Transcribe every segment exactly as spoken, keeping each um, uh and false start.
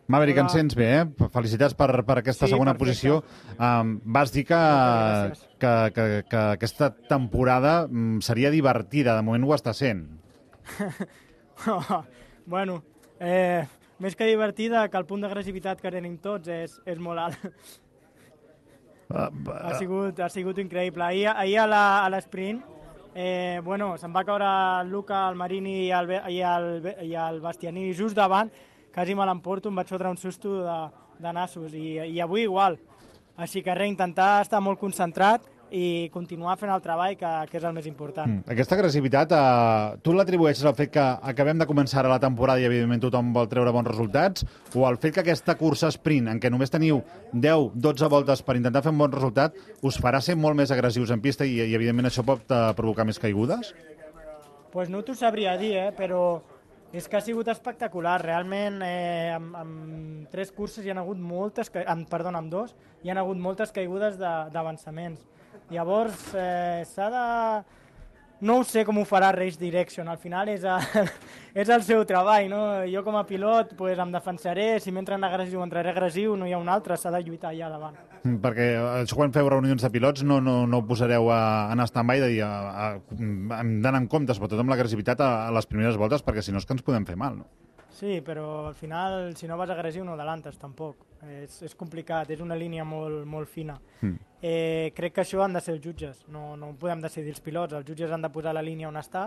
Maverick, ens sents bé, eh? Felicitats per, per aquesta Sí, segona perfecte. posició. Um, vas dir que, Moltes gràcies. que, que, que aquesta temporada mm, seria divertida. De moment ho està sent. Bueno, eh, més que divertida, que el punt d'agressivitat que tenim tots és, és molt alt. Uh, Ha sigut, ha sigut increïble. Ahir, ahir a la- a l'esprint, eh, bueno, se'n va caure el Luca, el Marini i el, Be- i el, Be- i el Bastianini just davant, quasi me l'emporto, em vaig fotre un susto de, de nassos, i, i avui igual. Així que res, intentar estar molt concentrat i continuar fent el treball, que, que és el més important. Mm. Aquesta agressivitat, eh, tu l'atribueixes al fet que acabem de començar ara la temporada i, evidentment, tothom vol treure bons resultats, o al fet que aquesta cursa sprint, en què només teniu deu dotze voltes per intentar fer un bon resultat, us farà ser molt més agressius en pista i, i evidentment, això pot eh, provocar més caigudes? Pues no t'ho sabria dir, eh, però és que ha sigut espectacular. Realment, eh, amb, amb tres curses hi ha hagut moltes, ca- amb, perdona, amb dos, hi ha hagut moltes caigudes de- d'avançaments. Llavors, eh, s'ha de... No ho sé com ho farà Race Direction, al final és, a... és el seu treball, no? Jo com a pilot pues, em defensaré, si m'entra en agressiu entraré agressiu, no hi ha un altre, s'ha de lluitar allà davant. Mm, Perquè això quan feu reunions de pilots no, no, no ho posareu a, en stand-by de dir a, a, hem d'anar en compte, sobretot amb l'agressivitat a, a les primeres voltes, perquè si no és que ens podem fer mal, no? Sí, però al final, si no vas agressiu, no adelantes, tampoc. És, és complicat, és una línia molt, molt fina. Mm. Eh, crec que això han de ser els jutges, no, no ho podem decidir els pilots. Els jutges han de posar la línia on està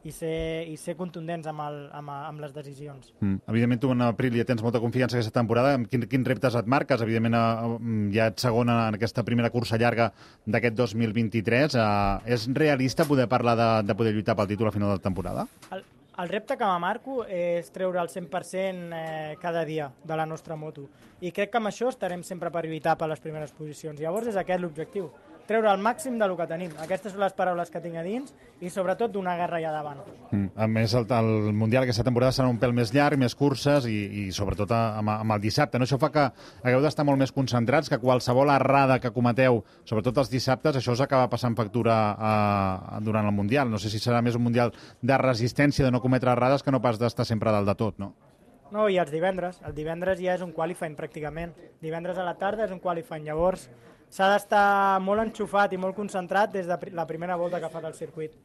i ser, i ser contundents amb, el, amb, amb les decisions. Mm. Evidentment, tu en Aprilia tens molta confiança aquesta temporada. Amb quin, quins reptes et marques? Evidentment, eh, ja ets segona en aquesta primera cursa llarga d'aquest dos mil vint-i-tres. Eh, és realista poder parlar de, de poder lluitar pel títol a final de temporada? El, el repte que me marco és treure el cent per cent eh, cada dia de la nostra moto. I crec que amb això estarem sempre per lluitar per les primeres posicions. Llavors és aquest l'objectiu, treure el màxim del que tenim. Aquestes són les paraules que tinc a dins i sobretot donar guerra allà davant. Mm. A més, el, el Mundial aquesta temporada serà un pèl més llarg, més curses i, i sobretot amb, amb el dissabte. No? Això fa que hagueu d'estar molt més concentrats, que qualsevol errada que cometeu, sobretot els dissabtes, això us acaba passant factura a, durant el Mundial. No sé si serà més un Mundial de resistència, de no cometre errades, que no pas d'estar sempre dalt de tot, no? No, i els divendres. El divendres ja és un qualifying, pràcticament. Divendres a la tarda és un qualifying. Llavors, s'ha d'estar molt enxufat i molt concentrat des de la primera volta que fa del circuit.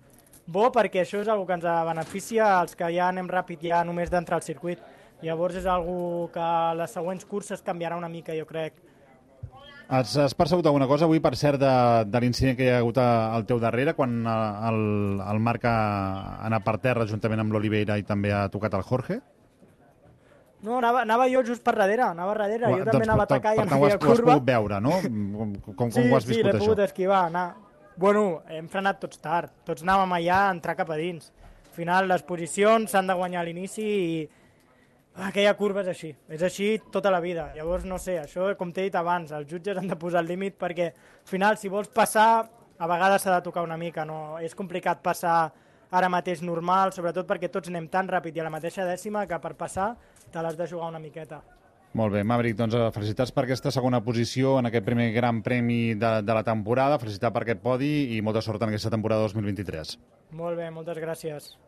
Bo perquè això és una que ens beneficia als que ja anem ràpid ja només d'entrar al circuit. Llavors és una que a les següents curses canviarà una mica, jo crec. Has, has percebut alguna cosa avui, per cert, de, de l'incident que hi ha hagut al teu darrere, quan el, el Marc ha anat per terra juntament amb l'Oliveira i també ha tocat el Jorge? No, anava, anava jo just per darrere, anava darrere, jo Doncs, també anava a atacar i per no tant, ho havia has, ho has curva. pogut veure, no? Com, com, Sí, com ho has sí, viscut, l'he això? pogut esquivar, anar. Bueno, hem frenat tots tard, tots anàvem allà a entrar cap a dins. Al final, les posicions s'han de guanyar a l'inici i aquella curva és així, és així tota la vida. Llavors, no sé, això, com t'he dit abans, els jutges han de posar el límit perquè, al final, si vols passar, a vegades s'ha de tocar una mica, no? És complicat passar ara mateix normal, sobretot perquè tots anem tan ràpid i a la mateixa dècima que per passar te l'has de jugar una miqueta. Molt bé, Maverick, doncs felicitats per aquesta segona posició en aquest primer gran premi de, de la temporada, felicitats per aquest podi i molta sort en aquesta temporada dos mil vint-i-tres. Molt bé, moltes gràcies.